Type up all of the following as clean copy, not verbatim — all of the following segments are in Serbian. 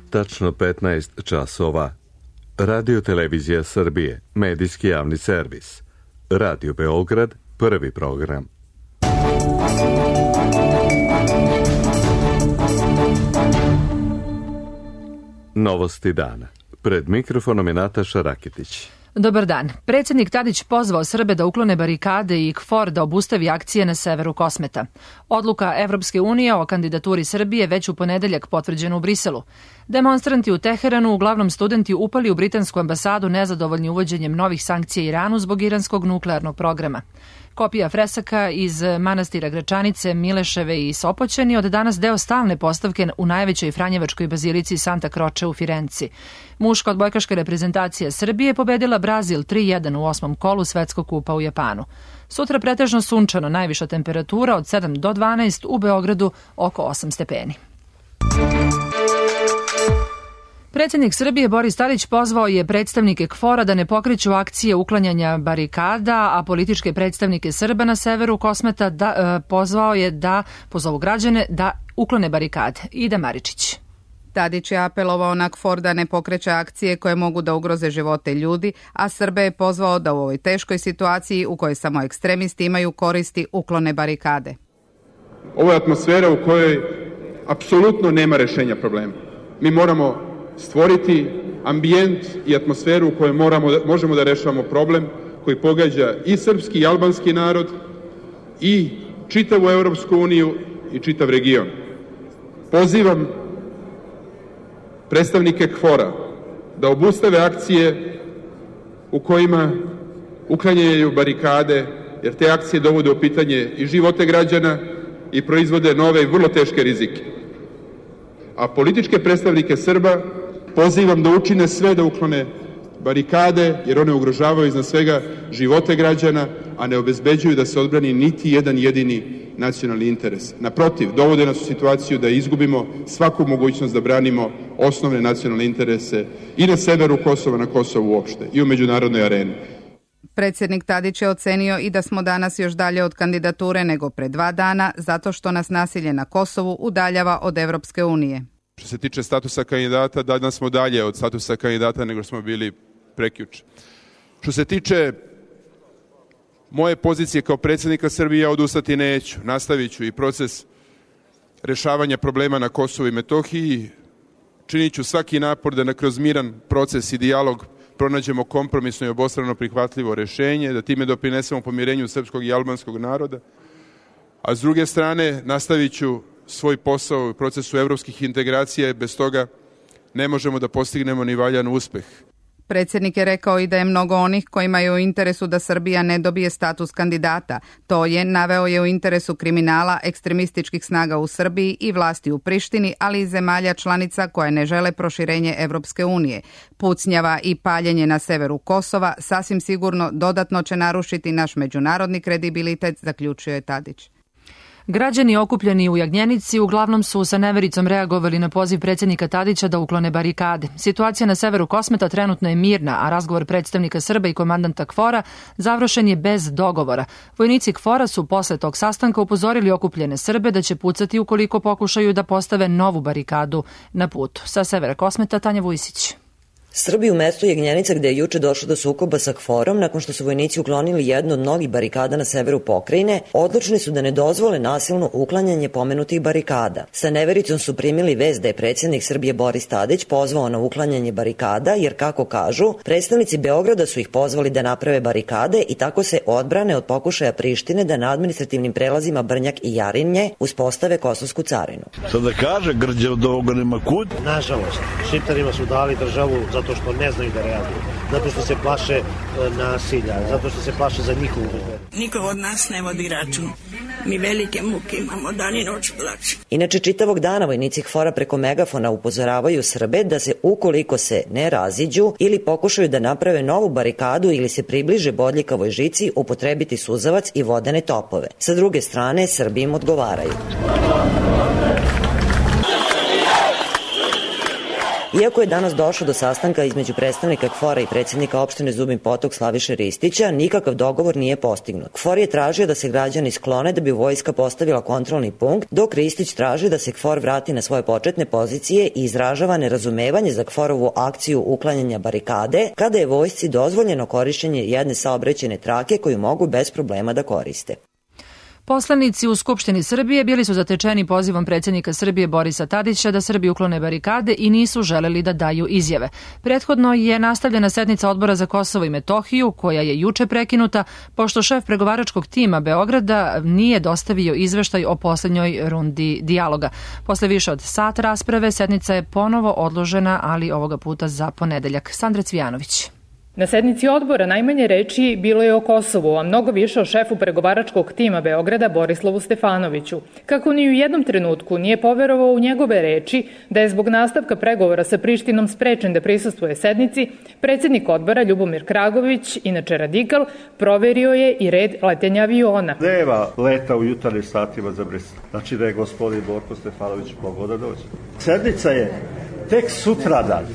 Tačno 15 časova. Radio Televizija Srbije, medijski javni servis. Radio Beograd, prvi program. Novosti dana. Pred mikrofonom je Nataša Raketić. Dobar dan. Predsjednik Tadić pozvao Srbe da uklone barikade i KFOR da obustavi akcije na severu Kosmeta. Odluka Evropske unije o kandidaturi Srbije već u ponedeljak potvrđena u Briselu. Demonstranti u Teheranu, uglavnom studenti, upali u britansku ambasadu nezadovoljni uvođenjem novih sankcija Iranu zbog iranskog nuklearnog programa. Kopija fresaka iz manastira Gračanice, Mileševe i Sopoćani od danas deo stalne postavke u najvećoj franjevačkoj bazilici Santa Croce u Firenci. Muška odbojkaška reprezentacija Srbije pobedila Brazil 3-1 u 8. kolu Svetskog kupa u Japanu. Sutra pretežno sunčano, najviša temperatura od 7 do 12, u Beogradu oko 8 stepeni. Predsjednik Srbije Boris Tadić pozvao je predstavnike KFOR-a da ne pokreću akcije uklanjanja barikada, a političke predstavnike Srba na severu Kosmeta pozvao je da pozovu građane da uklone barikade. Ida Maričić. Tadić je apelovao na KFOR da ne pokreće akcije koje mogu da ugroze živote ljudi, a Srbe je pozvao da u ovoj teškoj situaciji u kojoj samo ekstremisti imaju koristi uklone barikade. Ovo je atmosfera u kojoj apsolutno nema rešenja problema. Mi moramo stvoriti ambijent i atmosferu u kojoj možemo da rešavamo problem koji pogađa i srpski i albanski narod i čitavu Evropsku uniju i čitav region. Pozivam predstavnike KFOR-a da obustave akcije u kojima uklanjaju barikade, jer te akcije dovode u pitanje i živote građana i proizvode nove i vrlo teške rizike. A političke predstavnike Srba pozivam da učine sve da uklone barikade, jer one ugrožavaju iznad svega živote građana, a ne obezbeđuju da se odbrani niti jedan jedini nacionalni interes. Naprotiv, dovode nas u situaciju da izgubimo svaku mogućnost da branimo osnovne nacionalne interese i na severu Kosova, na Kosovu uopšte, i u međunarodnoj areni. Predsjednik Tadić je ocenio i da smo danas još dalje od kandidature nego pre 2 dana, zato što nas nasilje na Kosovu udaljava od Evropske unije. Što se tiče statusa kandidata, danas smo dalje od statusa kandidata nego smo bili prekjuče. Što se tiče moje pozicije kao predsjednika Srbije, ja odustati neću. Nastavit ću i proces rešavanja problema na Kosovu i Metohiji. Činit ću svaki napor da kroz miran proces i dijalog pronađemo kompromisno i obostrano prihvatljivo rešenje, da time doprinesemo pomirenju srpskog i albanskog naroda. A s druge strane, nastavit ću svoj posao u procesu evropskih integracija, bez toga ne možemo da postignemo ni valjan uspeh. Predsjednik je rekao i da je mnogo onih kojima je u interesu da Srbija ne dobije status kandidata. To je, naveo je, u interesu kriminala, ekstremističkih snaga u Srbiji i vlasti u Prištini, ali i zemalja članica koje ne žele proširenje Evropske unije. Pucnjava i paljenje na severu Kosova sasvim sigurno dodatno će narušiti naš međunarodni kredibilitet, zaključio je Tadić. Građani okupljeni u Jagnjenici uglavnom su sa nevericom reagovali na poziv predsjednika Tadića da uklone barikade. Situacija na severu Kosmeta trenutno je mirna, a razgovor predstavnika Srba i komandanta KFOR-a završen je bez dogovora. Vojnici KFOR-a su posle tog sastanka upozorili okupljene Srbe da će pucati ukoliko pokušaju da postave novu barikadu na putu. Sa severa Kosmeta, Tanja Vujsić. Srbi u mestu Jagnjenica, gde je juče došlo do sukoba sa KFOR-om, nakon što su vojnici uklonili jednu od mnogih barikada na severu pokrajine, odlučni su da ne dozvole nasilno uklanjanje pomenutih barikada. Sa nevericom su primili vest da je predsjednik Srbije Boris Tadić pozvao na uklanjanje barikada, jer, kako kažu, predstavnici Beograda su ih pozvali da naprave barikade i tako se odbrane od pokušaja Prištine da na administrativnim prelazima Brnjak i Jarinje uspostave kosovsku carinu. Sad da kaže, Grđe od ovoga nema kud? Nažalost, Šiptarima su dali državu zato što ne znaju da reaguju, zato što se plaše nasilja, zato što se plaše za njihovu bezbednost. Niko od nas ne vodi račun. Mi velike muke imamo, dan i noć plače. Inače, čitavog dana vojnici KFOR-a preko megafona upozoravaju Srbe da se, ukoliko se ne raziđu ili pokušaju da naprave novu barikadu ili se približe bodljikavoj žici, upotrebiti suzavac i vodene topove. Sa druge strane, Srbi im odgovaraju. Iako je danas došlo do sastanka između predstavnika KFOR-a i predsjednika opštine Zubin Potok Slaviše Ristića, nikakav dogovor nije postignut. KFOR je tražio da se građani sklone da bi vojska postavila kontrolni punkt, dok Ristić traži da se KFOR vrati na svoje početne pozicije i izražava nerazumevanje za KFOR-ovu akciju uklanjanja barikade, kada je vojsci dozvoljeno korišćenje jedne saobraćajne trake koju mogu bez problema da koriste. Poslanici u Skupštini Srbije bili su zatečeni pozivom predsjednika Srbije Borisa Tadića da Srbi uklone barikade i nisu želeli da daju izjave. Prethodno je nastavljena sednica Odbora za Kosovo i Metohiju, koja je juče prekinuta, pošto šef pregovaračkog tima Beograda nije dostavio izveštaj o poslednjoj rundi dijaloga. Posle više od sat rasprave, sednica je ponovo odložena, ali ovoga puta za ponedeljak. Sandra Cvijanović. Na sednici odbora najmanje reči bilo je o Kosovu, a mnogo više o šefu pregovaračkog tima Beograda Borislavu Stefanoviću. Kako ni u jednom trenutku nije poverovao u njegove reči da je zbog nastavka pregovora sa Prištinom sprečen da prisustvuje sednici, predsjednik odbora Ljubomir Kragović, inače radikal, proverio je i red letenja aviona. Nema leta u jutarnjim satima za Brisel. Znači da je gospodin Borko Stefanović mogao da dođe. Sednica je tek sutradan.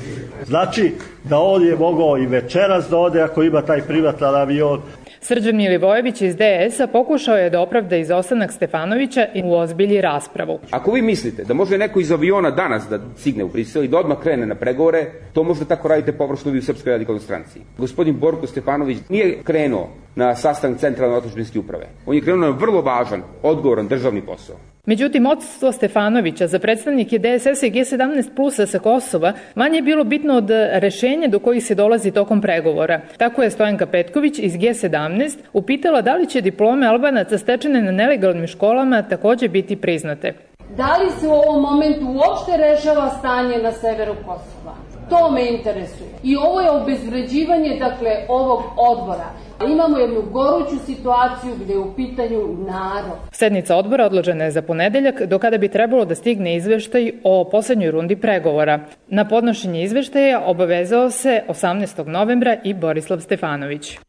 Znači da on je mogao i večeras da ode ako ima taj privatan avion. Srđan Milivojević iz DS-a pokušao je da opravda izostanak Stefanovića i uozbilji raspravu. Ako vi mislite da može neko iz aviona danas da stigne u Brisel i da odmah krene na pregovore, to možda tako radite površno vi u Srpskoj radikalnoj stranci. Gospodin Borko Stefanović nije krenuo na sastanak Centralne otadžbinske uprave. On je krenuo na vrlo važan, odgovoran državni posao. Međutim, odsustvo Stefanovića za predstavnike DSS-a i G17 plusa sa Kosova manje je bilo bitno od rešenja do kojih se dolazi tokom pregovora. Tako je Stojanka Petković iz G17 upitala da li će diplome Albanaca stečene na nelegalnim školama takođe biti priznate. Da li se u ovom momentu uopšte rešava stanje na severu Kosova? To me interesuje. I ovo je obezvređivanje, ovog odbora. Imamo jednu goruću situaciju gde je u pitanju narod. Sednica odbora odložena je za ponedeljak, do kada bi trebalo da stigne izveštaj o poslednjoj rundi pregovora. Na podnošenje izveštaja obavezao se 18. novembra i Borislav Stefanović.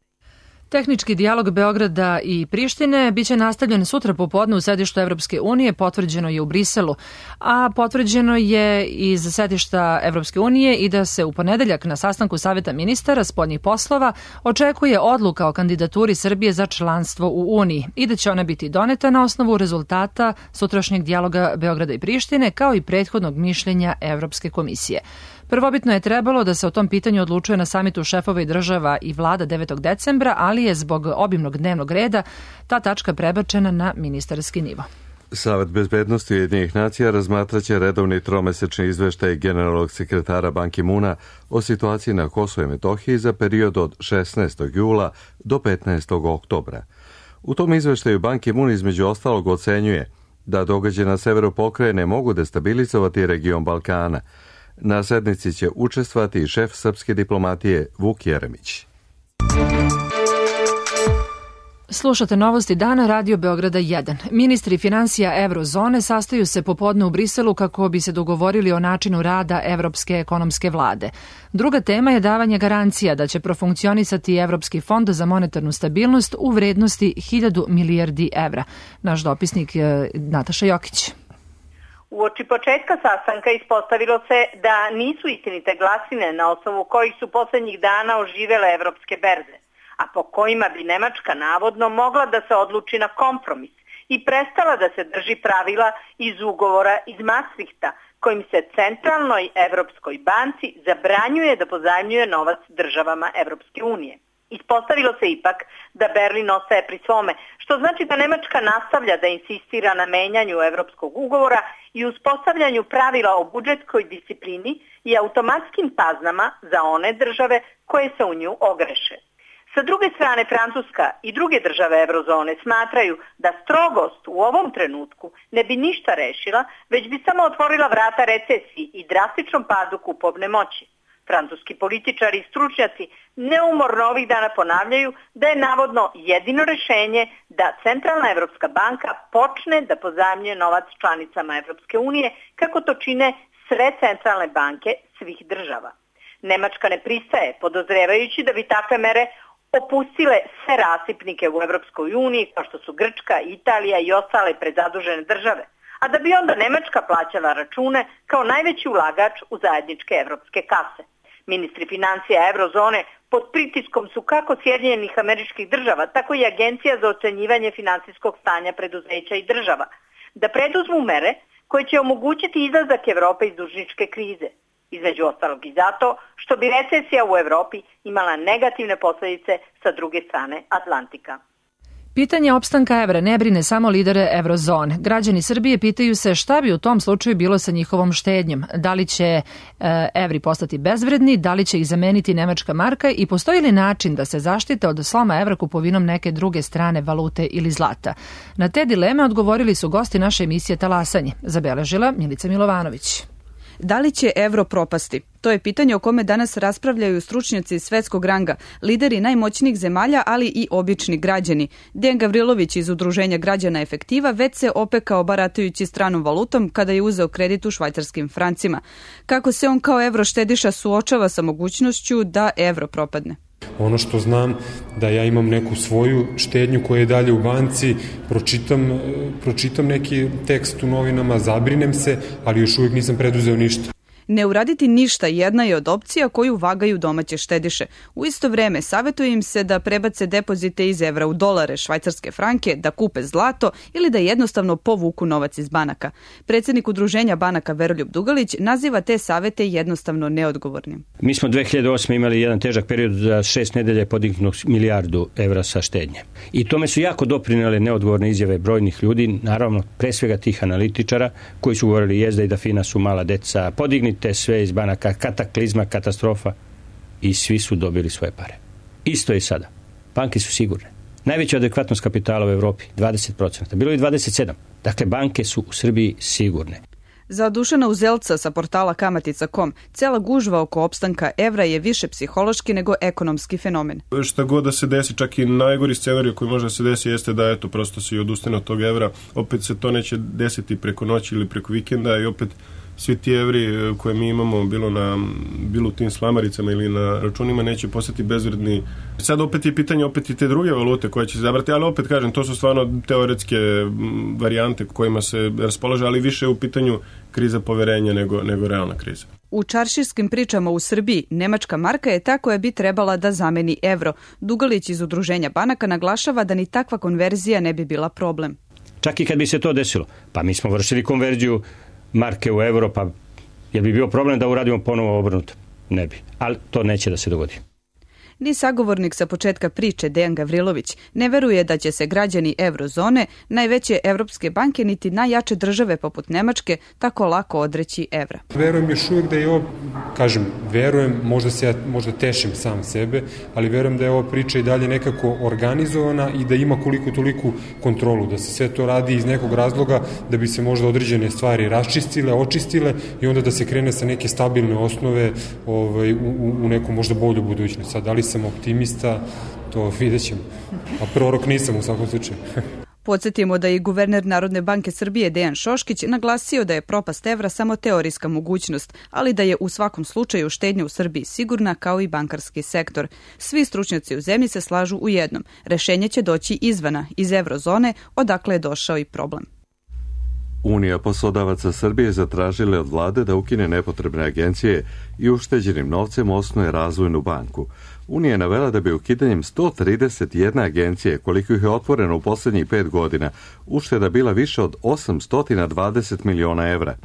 Tehnički dijalog Beograda i Prištine biće nastavljen sutra popodne u sedištu Evropske unije, potvrđeno je u Briselu, a potvrđeno je iz sedišta Evropske unije i da se u ponedeljak na sastanku Saveta ministara spoljnih poslova očekuje odluka o kandidaturi Srbije za članstvo u Uniji i da će ona biti doneta na osnovu rezultata sutrašnjeg dijaloga Beograda i Prištine, kao i prethodnog mišljenja Evropske komisije. Prvobitno je trebalo da se o tom pitanju odlučuje na samitu šefova i država i vlada 9. decembra, ali je zbog obimnog dnevnog reda ta tačka prebačena na ministarski nivo. Savet bezbednosti Ujedinjenih nacija razmatraće redovni tromesečni izveštaj generalnog sekretara Ban Ki-muna o situaciji na Kosovu i Metohiji za period od 16. jula do 15. oktobra. U tom izveštaju Ban Ki-mun između ostalog ocenjuje da događaje na severu pokrajine mogu destabilizovati region Balkana. Na sednici će učestvovati i šef srpske diplomatije Vuk Jeremić. Slušate novosti dana Radio Beograda 1. Ministri finansija Eurozone sastaju se popodne u Briselu kako bi se dogovorili o načinu rada Evropske ekonomske vlade. Druga tema je davanje garancija da će profunkcionisati Evropski fond za monetarnu stabilnost u vrednosti 1000 milijardi evra. Naš dopisnik Nataša Jokić. Uoči početka sastanka ispostavilo se da nisu istinite glasine na osnovu kojih su poslednjih dana oživele evropske berze, a po kojima bi Nemačka navodno mogla da se odluči na kompromis i prestala da se drži pravila iz ugovora iz Maastrichta, kojim se Centralnoj Evropskoj banci zabranjuje da pozajmljuje novac državama Evropske unije. Ispostavilo se ipak da Berlin ostaje pri svome, što znači da Nemačka nastavlja da insistira na menjanju evropskog ugovora i uspostavljanju pravila o budžetskoj disciplini i automatskim kaznama za one države koje se u nju ogreše. Sa druge strane, Francuska i druge države eurozone smatraju da strogost u ovom trenutku ne bi ništa rešila, već bi samo otvorila vrata recesiji i drastičnom padu kupovne moći. Francuski političari i stručnjaci neumorno ovih dana ponavljaju da je navodno jedino rešenje da Centralna Evropska banka počne da pozajmljuje novac članicama Evropske unije, kako to čine sve centralne banke svih država. Nemačka ne pristaje, podozrevajući da bi takve mere opustile sve rasipnike u Evropskoj uniji, kao što su Grčka, Italija i ostale prezadužene države. a da bi onda Nemačka plaćala račune kao najveći ulagač u zajedničke evropske kase. Ministri financija eurozone pod pritiskom su kako Sjedinjenih Američkih Država, tako i Agencija za ocenjivanje finansijskog stanja preduzeća i država, da preduzmu mere koje će omogućiti izlazak Evrope iz dužničke krize. Između ostalog i zato što bi recesija u Evropi imala negativne posledice sa druge strane Atlantika. Pitanje opstanka evra ne brine samo lidere eurozone. Građani Srbije pitaju se šta bi u tom slučaju bilo sa njihovom štednjom. Da li će evri postati bezvredni, da li će ih zameniti nemačka marka i postoji li način da se zaštite od sloma evra kupovinom neke druge strane valute ili zlata? Na te dileme odgovorili su gosti naše emisije Talasanje. Zabeležila Milica Milovanović. Da li će evro propasti? To je pitanje o kome danas raspravljaju stručnjaci svetskog ranga, lideri najmoćnijih zemalja, ali i obični građani. Dejan Gavrilović iz Udruženja građana Efektiva već se opekao baratajući stranom valutom kada je uzeo kredit u švajcarskim francima. Kako se on kao evroštediša suočava sa mogućnošću da evro propadne? Ono što znam da ja imam neku svoju štednju koja je dalje u banci, pročitam neki tekst u novinama, zabrinem se, ali još uvijek nisam preduzeo ništa. Ne uraditi ništa jedna je od opcija koju vagaju domaće štediše. U isto vreme savjetuje im se da prebace depozite iz evra u dolare, švajcarske franke, da kupe zlato ili da jednostavno povuku novac iz banaka. Predsjednik Udruženja banaka Veroljub Dugalić naziva te savjete jednostavno neodgovornim. Mi smo 2008. imali jedan težak period, za 6 nedelja je podignut milijardu evra sa štednje. I tome su jako doprinele neodgovorne izjave brojnih ljudi, naravno pre svega tih analitičara koji su govorili Jezda i da Fina su mala deca, podignite sve iz banaka, kataklizma, katastrofa, i svi su dobili svoje pare. Isto je sada. Banke su sigurne. Najveća adekvatnost kapitala u Evropi, 20%. Bilo je 27%. Dakle, banke su u Srbiji sigurne. Za Dušana Uzelca sa portala Kamatica.com, cela gužva oko opstanka evra je više psihološki nego ekonomski fenomen. Šta god da se desi, čak i najgori scenarij koji može da se desi jeste da eto prosto se i odustane od tog evra. Opet se to neće desiti preko noći ili preko vikenda i opet svi ti evri koje mi imamo bilo u tim slamaricama ili na računima neće postati bezvredni. Sad opet je pitanje opet i te druge valute koje će se zabrati, ali opet kažem, to su stvarno teoretske varijante kojima se raspolaže, ali više je u pitanju kriza poverenja nego realna kriza. U čarširskim pričama u Srbiji, nemačka marka je ta koja bi trebala da zameni evro. Dugalić iz Udruženja banaka naglašava da ni takva konverzija ne bi bila problem. Čak i kad bi se to desilo, pa mi smo vršili konverziju marke u euro, pa je bi bio problem da uradimo ponovo obrnuto? Ne bi, ali to neće da se dogodi. Ni sagovornik sa početka priče Dejan Gavrilović ne veruje da će se građani eurozone, najveće evropske banke niti najjače države poput Nemačke tako lako odreći evra. Verujem još uvijek da je ovo, verujem, možda tešim sam sebe, ali verujem da je ova priča i dalje nekako organizovana i da ima koliko toliku kontrolu, da se sve to radi iz nekog razloga da bi se možda određene stvari raščistile, očistile i onda da se krene sa neke stabilne osnove u neku možda bolju budućnost. Sad, da li sam optimista, to vidjet ćemo. A prorok nisam u svakom slučaju. Podsjetimo da je guverner Narodne banke Srbije Dejan Šoškić naglasio da je propast evra samo teorijska mogućnost, ali da je u svakom slučaju štednja u Srbiji sigurna kao i bankarski sektor. Svi stručnjaci u zemlji se slažu u jednom. Rešenje će doći izvana, iz eurozone, odakle je došao i problem. Unija poslodavaca Srbije zatražila od vlade da ukine nepotrebne agencije i ušteđenim novcem osnuje razvojnu banku. Unija je navela da bi ukidanjem 131 agencije, koliko ih je otvoreno u posljednjih 5 godina, ušteda bila više od 820 miliona evra.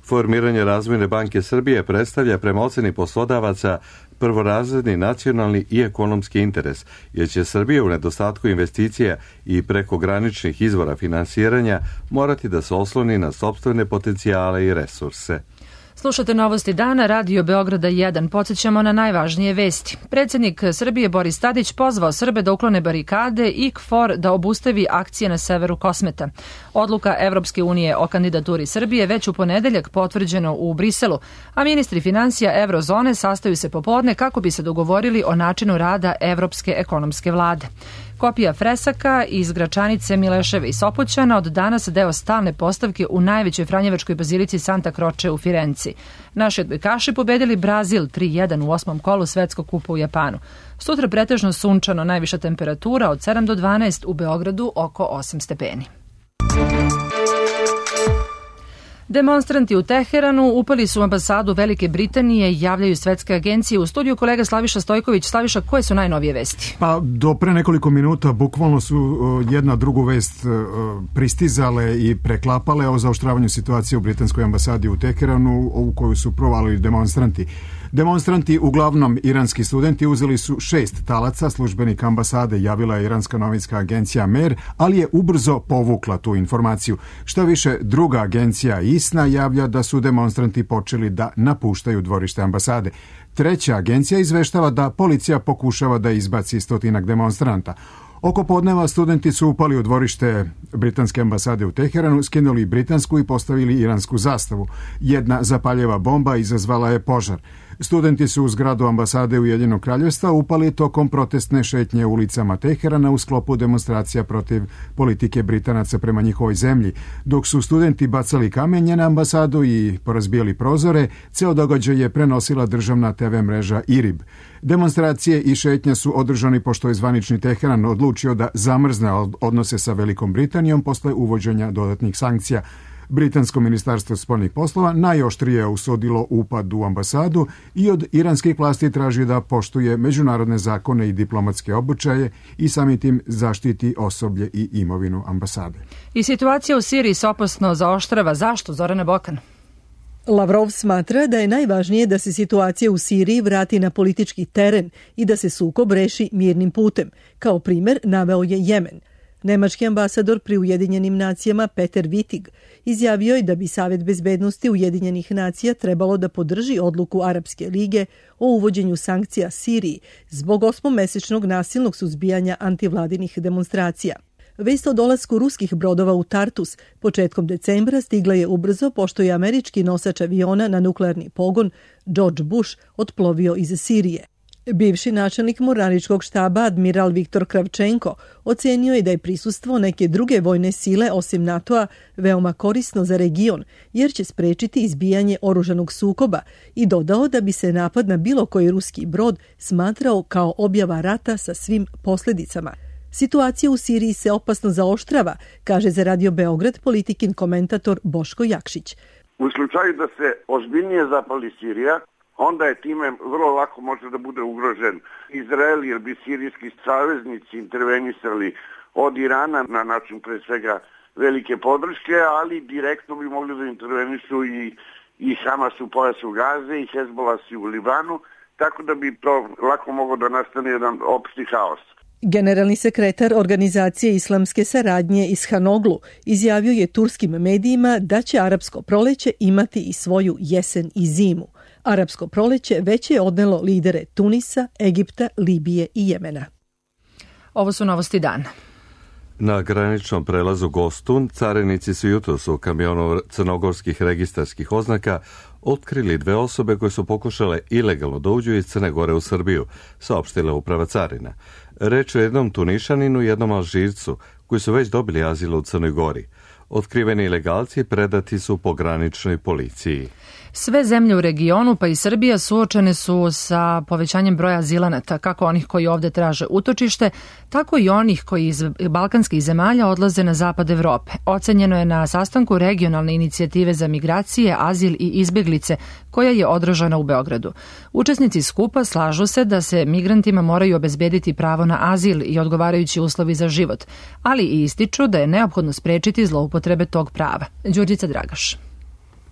Formiranje Razvojne banke Srbije predstavlja prema oceni poslodavaca prvorazredni nacionalni i ekonomski interes, jer će Srbija u nedostatku investicija i prekograničnih izvora finansiranja morati da se osloni na sopstvene potencijale i resurse. Slušate Novosti dana, Radio Beograda 1. Podsjećamo na najvažnije vesti. Predsjednik Srbije Boris Tadić pozvao Srbe da uklone barikade i KFOR da obustavi akcije na severu Kosmeta. Odluka Evropske unije o kandidaturi Srbije već u ponedeljak potvrđeno u Briselu, a ministri financija Eurozone sastaju se popodne kako bi se dogovorili o načinu rada Evropske ekonomske vlade. Kopija fresaka iz Gračanice, Mileševe i Sopoćana od danas deo stalne postavke u najvećoj franjevačkoj bazilici Santa Croce u Firenci. Naši odbojkaši pobedili Brazil 3-1 u 8. kolu svetskog kupa u Japanu. Sutra pretežno sunčano, najviša temperatura od 7 do 12, u Beogradu oko 8 stepeni. Demonstranti u Teheranu upali su u ambasadu Velike Britanije, javljaju svetske agencije. U studiju kolega Slaviša Stojković. Slaviša, koje su najnovije vesti? Pa do pre nekoliko minuta bukvalno su jedna drugu vest pristizale i preklapale o zaoštravanju situacije u britanskoj ambasadi u Teheranu, u koju su provalili demonstranti. Demonstranti, uglavnom iranski studenti, uzeli su 6 talaca. Službenik ambasade javila je iranska novinska agencija Mer, ali je ubrzo povukla tu informaciju. Šta više, druga agencija ISNA javlja da su demonstranti počeli da napuštaju dvorište ambasade. Treća agencija izveštava da policija pokušava da izbaci 100 demonstranta. Oko podneva studenti su upali u dvorište britanske ambasade u Teheranu, skinuli britansku i postavili iransku zastavu. Jedna zapaljeva bomba izazvala je požar. Studenti su u zgradu ambasade Ujedinjenog Kraljevstva upali tokom protestne šetnje ulicama Teherana u sklopu demonstracija protiv politike Britanaca prema njihovoj zemlji. Dok su studenti bacali kamenje na ambasadu i porazbijali prozore, ceo događaj je prenosila državna TV mreža IRIB. Demonstracije i šetnje su održani pošto je zvanični Teheran odlučio da zamrzne odnose sa Velikom Britanijom posle uvođenja dodatnih sankcija. Britansko ministarstvo spoljnih poslova najoštrije je osudilo upad u ambasadu i od iranskih vlasti traži da poštuje međunarodne zakone i diplomatske običaje i samim tim zaštiti osoblje i imovinu ambasade. I situacija u Siriji se opasno zaoštrava. Zašto, Zorana Bokan? Lavrov smatra da je najvažnije da se situacija u Siriji vrati na politički teren i da se sukob reši mirnim putem. Kao primer naveo je Jemen. Nemački ambasador pri Ujedinjenim nacijama Peter Wittig izjavio je da bi Savet bezbednosti Ujedinjenih nacija trebalo da podrži odluku Arapske lige o uvođenju sankcija Siriji zbog 8-mesečnog nasilnog suzbijanja antivladinih demonstracija. Vest o dolasku ruskih brodova u Tartus početkom decembra stigla je ubrzo pošto je američki nosač aviona na nuklearni pogon George Bush otplovio iz Sirije. Bivši načelnik mornaričkog štaba admiral Viktor Kravčenko ocenio je da je prisustvo neke druge vojne sile osim NATO-a veoma korisno za region jer će sprečiti izbijanje oružanog sukoba i dodao da bi se napad na bilo koji ruski brod smatrao kao objava rata sa svim posljedicama. Situacija u Siriji se opasno zaoštrava, kaže za Radio Beograd politikin komentator Boško Jakšić. U slučaju da se ozbiljnije zapali Sirija, onda je time vrlo lako može da bude ugrožen Izrael, jer bi sirijski saveznici intervenisali od Irana na način pre svega velike podrške, ali direktno bi mogli da intervenišu i Hamas u pojasu Gaze i Hezbollah u Libanu, tako da bi to lako moglo da nastane jedan opšti haos. Generalni sekretar Organizacije islamske saradnje iz Hanoglu izjavio je turskim medijima da će arapsko proleće imati i svoju jesen i zimu. Arapsko proleće već je odnelo lidere Tunisa, Egipta, Libije i Jemena. Ovo su novosti dana. Na graničnom prelazu Gostun carinici su jutros u kamionu crnogorskih registarskih oznaka otkrili 2 osobe koje su pokušale ilegalno da uđu iz Crne Gore u Srbiju, saopštila uprava carina. Reč je o jednom Tunišaninu i jednom Alžircu koji su već dobili azil u Crnoj Gori. Otkriveni ilegalci predati su pograničnoj policiji. Sve zemlje u regionu, pa i Srbija, suočene su sa povećanjem broja azilanata, kako onih koji ovde traže utočište, tako i onih koji iz balkanskih zemalja odlaze na zapad Evrope. Ocenjeno je na sastanku regionalne inicijative za migracije, azil i izbeglice, koja je održana u Beogradu. Učesnici skupa slažu se da se migrantima moraju obezbediti pravo na azil i odgovarajući uslovi za život, ali i ističu da je neophodno sprečiti zloupotrebe tog prava. Đurđica Dragaš.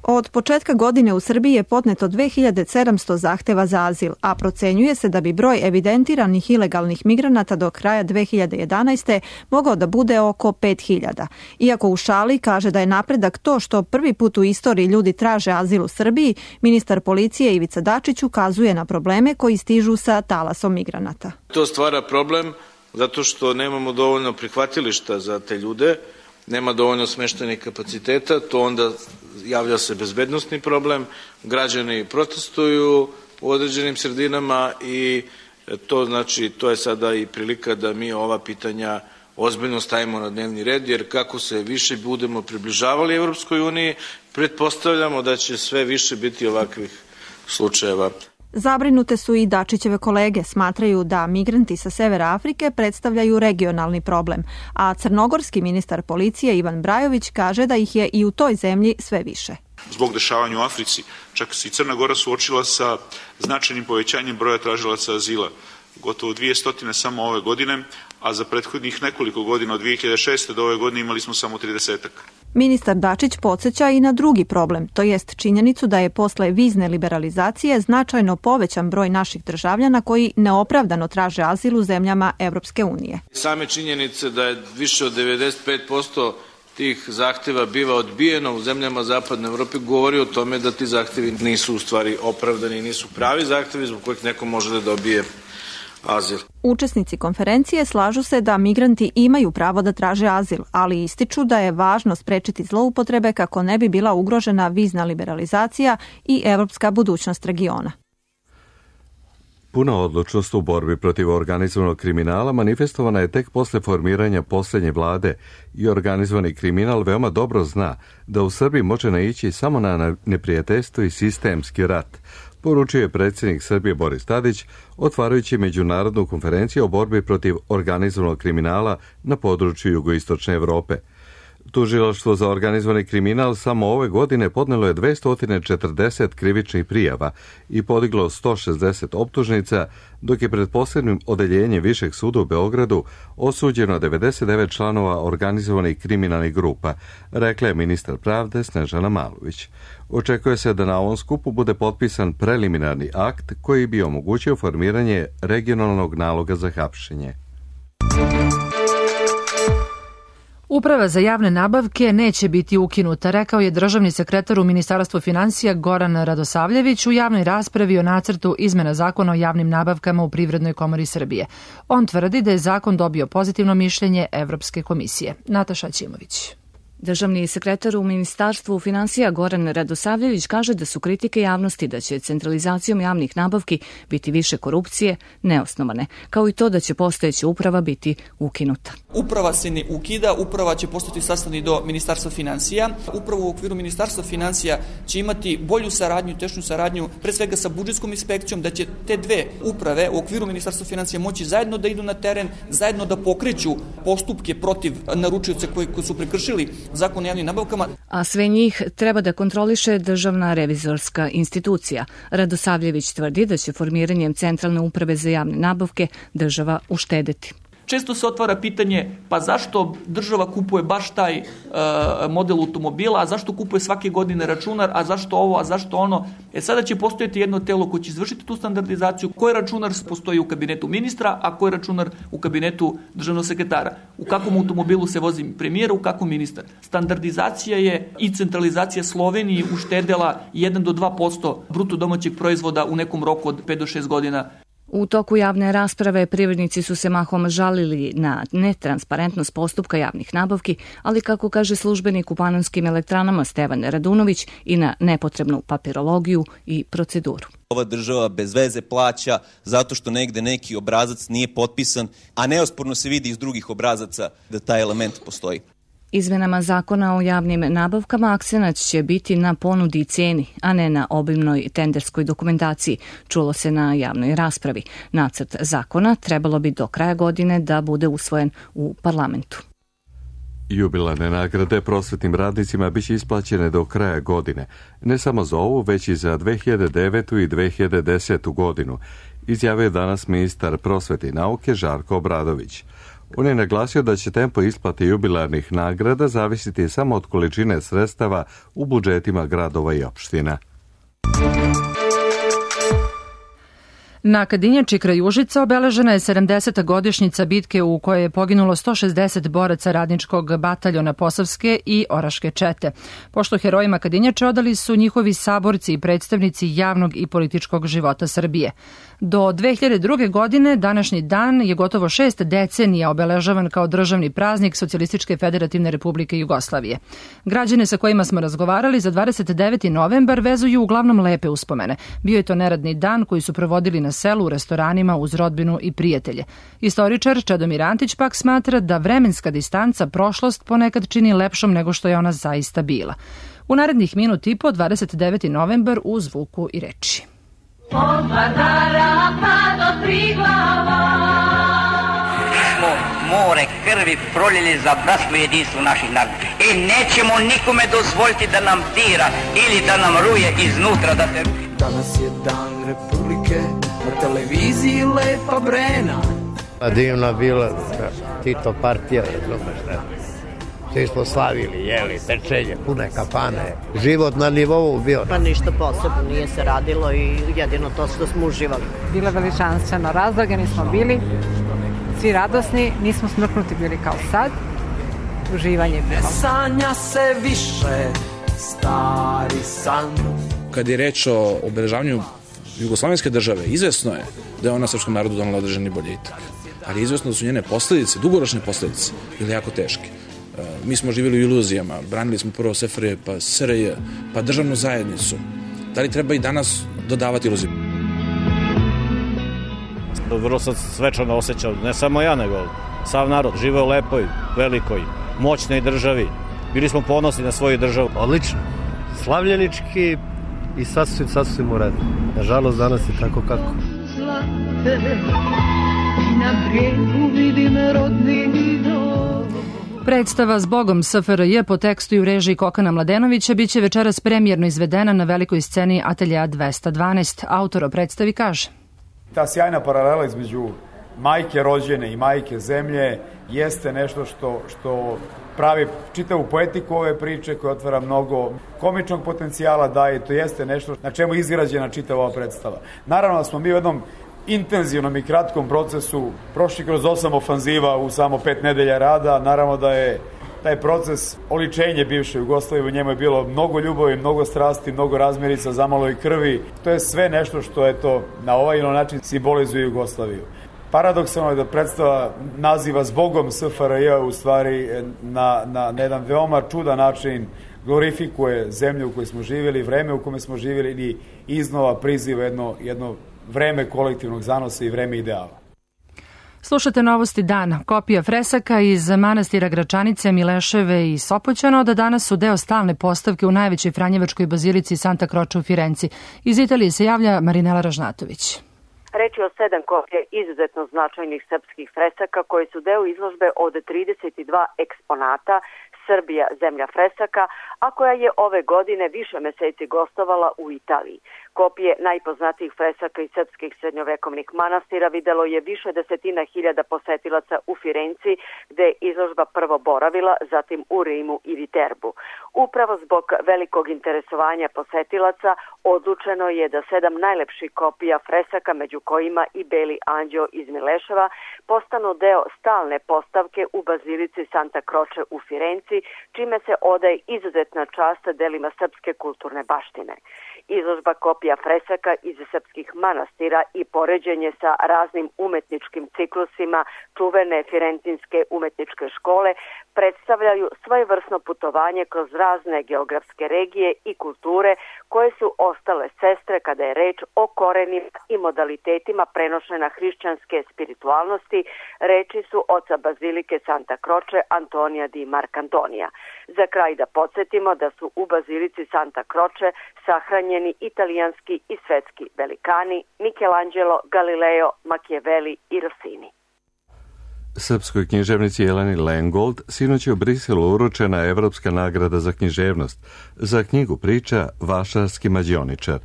Od početka godine u Srbiji je podneto 2700 zahteva za azil, a procenjuje se da bi broj evidentiranih ilegalnih migranata do kraja 2011. mogao da bude oko 5000. Iako u šali kaže da je napredak to što prvi put u istoriji ljudi traže azil u Srbiji, ministar policije Ivica Dačić ukazuje na probleme koji stižu sa talasom migranata. To stvara problem zato što nemamo dovoljno prihvatilišta za te ljude, nema dovoljno smeštajnih kapaciteta, to onda javlja se bezbednosni problem, građani protestuju u određenim sredinama i to je sada i prilika da mi ova pitanja ozbiljno stavimo na dnevni red, jer kako se više budemo približavali Evropskoj uniji, pretpostavljamo da će sve više biti ovakvih slučajeva. Zabrinute su i Dačićeve kolege, smatraju da migranti sa severa Afrike predstavljaju regionalni problem, a crnogorski ministar policije Ivan Brajović kaže da ih je i u toj zemlji sve više. Zbog dešavanja u Africi, čak se i Crna Gora suočila sa značajnim povećanjem broja tražilaca azila. Gotovo 200 samo ove godine, a za prethodnih nekoliko godina od 2006. do ove godine imali smo samo 30-ak. Ministar Dačić podsjeća i na drugi problem, to jest činjenicu da je posle vizne liberalizacije značajno povećan broj naših državljana koji neopravdano traže azil u zemljama Evropske unije. Same činjenice da je više od 95% tih zahteva biva odbijeno u zemljama Zapadne Evrope govori o tome da ti zahtevi nisu u stvari opravdani, nisu pravi zahtevi zbog kojih neko može da dobije azil. Učesnici konferencije slažu se da migranti imaju pravo da traže azil, ali ističu da je važno sprečiti zloupotrebe kako ne bi bila ugrožena vizna liberalizacija i evropska budućnost regiona. Puna odlučnost u borbi protiv organizovanog kriminala manifestovana je tek posle formiranja posljednje vlade i organizovani kriminal veoma dobro zna da u Srbiji može naići samo na neprijateljstvo i sistemski rat, poručio je predsjednik Srbije Boris Tadić, otvarajući međunarodnu konferenciju o borbi protiv organizovanog kriminala na području jugoistočne Evrope. Tužilaštvo za organizovani kriminal samo ove godine podnelo je 240 krivičnih prijava i podiglo 160 optužnica, dok je pred posebnim odeljenjem Višeg suda u Beogradu osuđeno 99 članova organizovanih kriminalnih grupa, rekla je ministar pravde Snežana Malović. Očekuje se da na ovom skupu bude potpisan preliminarni akt koji bi omogućio formiranje regionalnog naloga za hapšenje. Uprava za javne nabavke neće biti ukinuta, rekao je državni sekretar u Ministarstvu finansija Goran Radosavljević u javnoj raspravi o nacrtu izmena zakona o javnim nabavkama u Privrednoj komori Srbije. On tvrdi da je zakon dobio pozitivno mišljenje Evropske komisije. Nataša Ćimović. Državni sekretar u Ministarstvu finansija Goran Radosavljević kaže da su kritike javnosti da će centralizacijom javnih nabavki biti više korupcije neosnovane, kao i to da će postojeća uprava biti ukinuta. Uprava se ne ukida, uprava će postati sastavni do Ministarstva finansija. Upravo u okviru Ministarstva finansija će imati bolju saradnju, tešnju saradnju, pre svega sa budžetskom inspekcijom, da će te dve uprave u okviru Ministarstva finansija moći zajedno da idu na teren, zajedno da pokreću postupke protiv naručioca koji su prekršili Zakon o javnim nabavkama. A sve njih treba da kontroliše Državna revizorska institucija. Radosavljević tvrdi da će formiranjem Centralne uprave za javne nabavke država uštedeti. Često se otvara pitanje, pa zašto država kupuje baš taj model automobila, a zašto kupuje svake godine računar, a zašto ovo, a zašto ono. Sada će postojati jedno telo koje će izvršiti tu standardizaciju, koji računar postoji u kabinetu ministra, a koji računar u kabinetu državnog sekretara. U kakvom automobilu se vozi premijer, u kakvom ministar. Standardizacija je i centralizacija Sloveniji uštedela 1 do 2% bruto domaćeg proizvoda u nekom roku od 5 do 6 godina. U toku javne rasprave privrednici su se mahom žalili na netransparentnost postupka javnih nabavki, ali kako kaže službenik u Panonskim elektranama Stevan Radunović i na nepotrebnu papirologiju i proceduru. Ova država bez veze plaća zato što negde neki obrazac nije potpisan, a neosporno se vidi iz drugih obrazaca da taj element postoji. Izmenama zakona o javnim nabavkama akcenat će biti na ponudi i ceni, a ne na obimnoj tenderskoj dokumentaciji, čulo se na javnoj raspravi. Nacrt zakona trebalo bi do kraja godine da bude usvojen u parlamentu. Jubilarne nagrade prosvetnim radnicima biće isplaćene do kraja godine, ne samo za ovu, već i za 2009. i 2010. godinu, izjavio je danas ministar prosvete i nauke Žarko Obradović. On je naglasio da će tempo isplate jubilarnih nagrada zavisiti samo od količine sredstava u budžetima gradova i opština. Na Kadinjači kraj Užica obeležena je 70. godišnjica bitke u kojoj je poginulo 160 boraca radničkog bataljona Posavske i Oraške čete. Pošto herojima Kadinjače odali su njihovi saborci i predstavnici javnog i političkog života Srbije. Do 2002. godine današnji dan je gotovo 6 decenija obeležavan kao državni praznik Socijalističke federativne republike Jugoslavije. Građane sa kojima smo razgovarali za 29. novembar vezuju uglavnom lepe uspomene. Bio je to neradni dan koji su provodili na selu u restoranima uz rodbinu i prijatelje. Istoričar Čedomir Antić pak smatra da vremenska distanca prošlost ponekad čini lepšom nego što je ona zaista bila. U narednih minut i po 29. novembar u zvuku i reči. Od Vardara pa do Triglava smo more krvi proljeli za bratstvo i jedinstvo naših naroda. I nećemo nikome dozvoliti da nam dira ili da nam ruje iznutra da te ruši. Danas je dan Republike, na televiziji Lepa Brena. Divna bila Tito partija, razumeš, ne? Svi smo slavili, jeli, tečenje, pune kafane, život na nivou bio. Pa ništa posebno, nije se radilo i jedino to što smo uživali. Bilo veličanstveno, razlagani smo bili, svi radosni, nismo smrknuti bili kao sad, uživanje je bilo. Ne sanja se više, stari san. Kad je reč o obeležavanju jugoslovenske države, izvesno je da je ona srpskom narodu donala određeni boljitak, ali izvesno da su njene posledice, dugoročne posledice, bile jako teške. Mi smo živjeli u iluzijama, branili smo prvo SFRJ, pa SRJ, pa državnu zajednicu. Da li treba i danas dodavati iluziju? Vrlo sam svečano osjećao, ne samo ja, nego sav narod. Živeo u lepoj, velikoj, moćnoj državi. Bili smo ponosni na svoju državu. Odlično. Slavljenički i sasvim u redu. Nažalost, danas je tako kako. Na brijegu vidim rodni dom. Predstava Zbogom SFRJ po tekstu i u režiji Kokana Mladenovića biće večeras premijerno izvedena na velikoj sceni Ateljea 212. Autor o predstavi kaže: Ta sjajna paralela između majke rođene i majke zemlje jeste nešto što pravi čitavu poetiku ove priče, koja otvara mnogo komičnog potencijala, daje, to jeste nešto na čemu je izgrađena čitava ova predstava. Naravno da smo mi u jednom intenzivnom i kratkom procesu prošli kroz 8 ofanziva u samo 5 nedelja rada. Naravno da je taj proces oličenje bivše Jugoslavije, u njemu je bilo mnogo ljubavi, mnogo strasti, mnogo razmirica, zamalo i krvi. To je sve nešto što na ovaj ili način simbolizuje Jugoslaviju. Paradoksalno je da predstava naziva Zbogom SFRJ u stvari na jedan veoma čudan način glorifikuje zemlju u kojoj smo živjeli, vreme u kome smo živjeli i iznova priziva jedno vreme kolektivnog zanosa i vreme ideala. Slušate Novosti dana. Kopija fresaka iz manastira Gračanice, Mileševe i Sopoćana od danas su deo stalne postavke u najvećoj franjevačkoj bazilici Santa Croce u Firenci. Iz Italije se javlja Marinela Ražnatović. Reč je o 7 kopija izuzetno značajnih srpskih fresaka koji su deo izložbe od 32 eksponata Srbija, zemlja fresaka, a koja je ove godine više meseci gostovala u Italiji. Kopije najpoznatijih fresaka iz srpskih srednjovekovnih manastira videlo je više desetina hiljada posetilaca u Firenci, gde je izložba prvo boravila, zatim u Rimu i Viterbu. Upravo zbog velikog interesovanja posetilaca odlučeno je da 7 najlepših kopija fresaka, među kojima i Beli anđeo iz Mileševa, postanu deo stalne postavke u bazilici Santa Croce u Firenci, čime se odaje izuzetna čast delima srpske kulturne baštine. Izložba kopija fresaka iz srpskih manastira i poređenje sa raznim umetničkim ciklusima čuvene Firentinske umetničke škole predstavljaju svojevrsno putovanje kroz razne geografske regije i kulture koje su ostale sestre kada je reč o korenima i modalitetima prenošena hrišćanske spiritualnosti, reči su oca bazilike Santa Croce Antonija di Marcantonija. Za kraj da podsjetimo da su u bazilici Santa Croce sahranjeni italijanski i svetski velikani Michelangelo, Galileo, Machiavelli i Rossini. Srpskoj književnici Jeleni Lengold sinoć je u Briselu uručena Evropska nagrada za književnost za knjigu priča Vašarski mađioničar.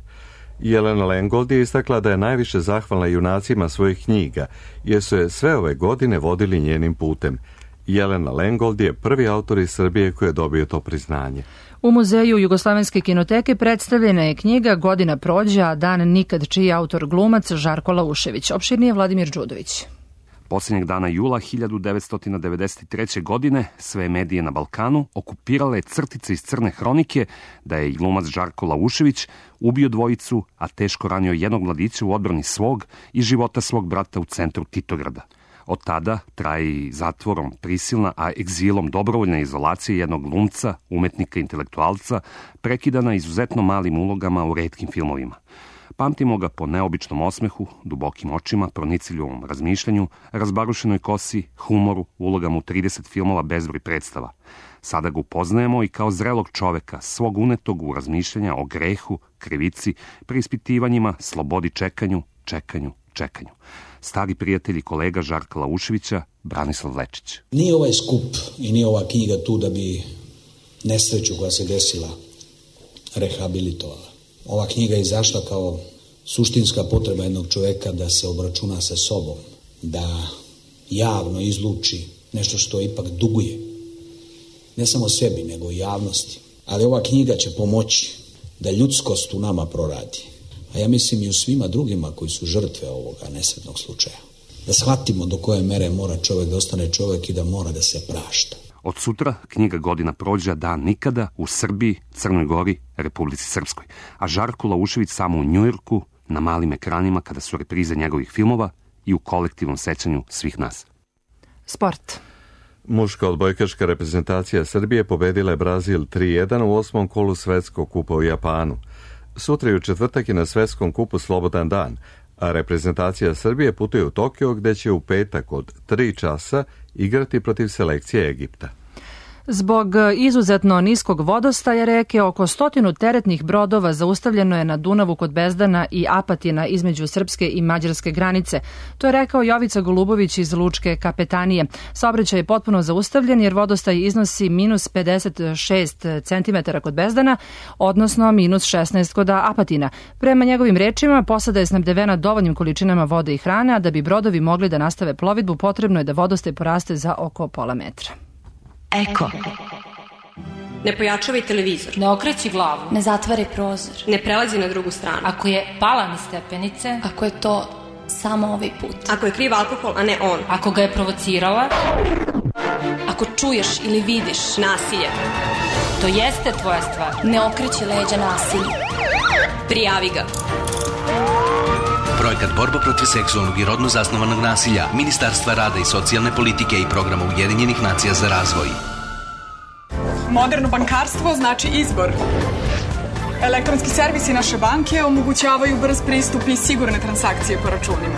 Jelena Lengold je istakla da je najviše zahvalna junacima svojih knjiga, jer su je sve ove godine vodili njenim putem. Jelena Lengold je prvi autor iz Srbije koji je dobio to priznanje. U Muzeju Jugoslovenske kinoteke predstavljena je knjiga Godina prođe, a dan nikad, čiji je autor glumac Žarko Laušević. Opširnije Vladimir Đudović. Posljednjeg dana jula 1993. godine sve medije na Balkanu okupirale crtice iz Crne hronike da je glumac Žarko Laušević ubio dvojicu, a teško ranio jednog mladića u odbrani svog i života svog brata u centru Titograda. Od tada traje i zatvorom prisilna, a egzilom dobrovoljna izolacija jednog glumca, umetnika, intelektualca, prekidana izuzetno malim ulogama u retkim filmovima. Pamtimo ga po neobičnom osmehu, dubokim očima, pronicljivom razmišljanju, razbarušenoj kosi, humoru, ulogama u 30 filmova, bezbroj predstava. Sada ga upoznajemo i kao zrelog čoveka, svog unetog u razmišljanja o grehu, krivici, preispitivanjima, slobodi čekanju, čekanju. Stari prijatelj i kolega Žarka Lauševića, Branislav Lečić. Nije ovaj skup i nije ova knjiga tu da bi nesreću koja se desila rehabilitovala. Ova knjiga je izašla kao suštinska potreba jednog čoveka da se obračuna sa sobom, da javno izluči nešto što ipak duguje. Ne samo sebi, nego i javnosti. Ali ova knjiga će pomoći da ljudskost u nama proradi. A ja mislim i u svima drugima koji su žrtve ovoga nesretnog slučaja. Da shvatimo do koje mere mora čovjek da ostane čovjek i da mora da se prašta. Od sutra knjiga Godina prođe, dan nikada u Srbiji, Crnoj Gori, Republici Srpskoj. A Žarko Laušević samo u Njujorku, na malim ekranima kada su reprize njegovih filmova i u kolektivnom sećanju svih nas. Sport. Muška odbojkaška reprezentacija Srbije pobedila je Brazil 3-1 u 8. kolu svetskog kupa u Japanu. Sutra i u četvrtak je na svetskom kupu slobodan dan, a reprezentacija Srbije putuje u Tokio gde će u petak od 3 časa igrati protiv selekcije Egipta. Zbog izuzetno niskog vodostaja reke, oko 100 teretnih brodova zaustavljeno je na Dunavu kod Bezdana i Apatina između srpske i mađarske granice. To je rekao Jovica Golubović iz Lučke kapetanije. Saobraćaj je potpuno zaustavljen jer vodostaj iznosi minus 56 cm kod Bezdana, odnosno minus 16 kod Apatina. Prema njegovim rečima, posada je snabdevena dovoljnim količinama vode i hrane, a da bi brodovi mogli da nastave plovidbu, potrebno je da vodostaj poraste za oko pola metra. Eko. Ne pojačavaj televizor. Ne okreći glavu. Ne zatvaraj prozor. Ne prelazi na drugu stranu. Ako je pala niz stepenice. Ako je to samo ovaj put. Ako je kriv alkohol, a ne on. Ako ga je provocirala. Ako čuješ ili vidiš nasilje. To jeste tvoja stvar. Ne okreći leđa nasilju. Prijavi ga. Projekat Borba protiv seksualnog i rodno zasnovanog nasilja Ministarstva rada i socijalne politike i programa Ujedinjenih nacija za razvoj. Moderno bankarstvo znači izbor. Elektronski servisi naše banke omogućavaju brz pristup i sigurne transakcije po računima.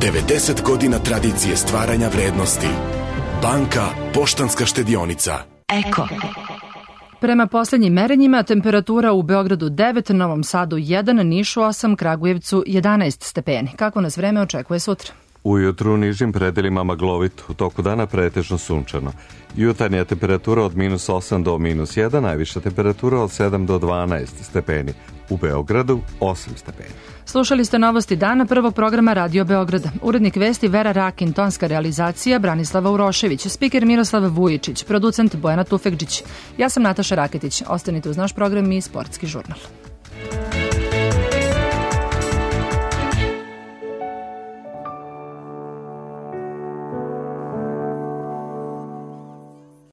90 godina tradicije stvaranja vrednosti. Banka Poštanska štedionica. Eko. Prema posljednjim merenjima, temperatura u Beogradu 9, Novom Sadu 1, Nišu 8, Kragujevcu 11 stepeni. Kako nas vreme očekuje sutra? Ujutru u nižim predelima maglovito, u toku dana pretežno sunčano. Jutarnja temperatura od minus 8 do minus 1, najviša temperatura od 7 do 12 stepeni. U Beogradu 8 stepeni. Slušali ste novosti dana prvog programa Radio Beograda. Urednik vesti Vera Rakin, tonska realizacija Branislava Urošević, spiker Miroslav Vujičić, producent Bojana Tufekđić. Ja sam Nataša Raketić. Ostanite uz naš program i Sportski žurnal.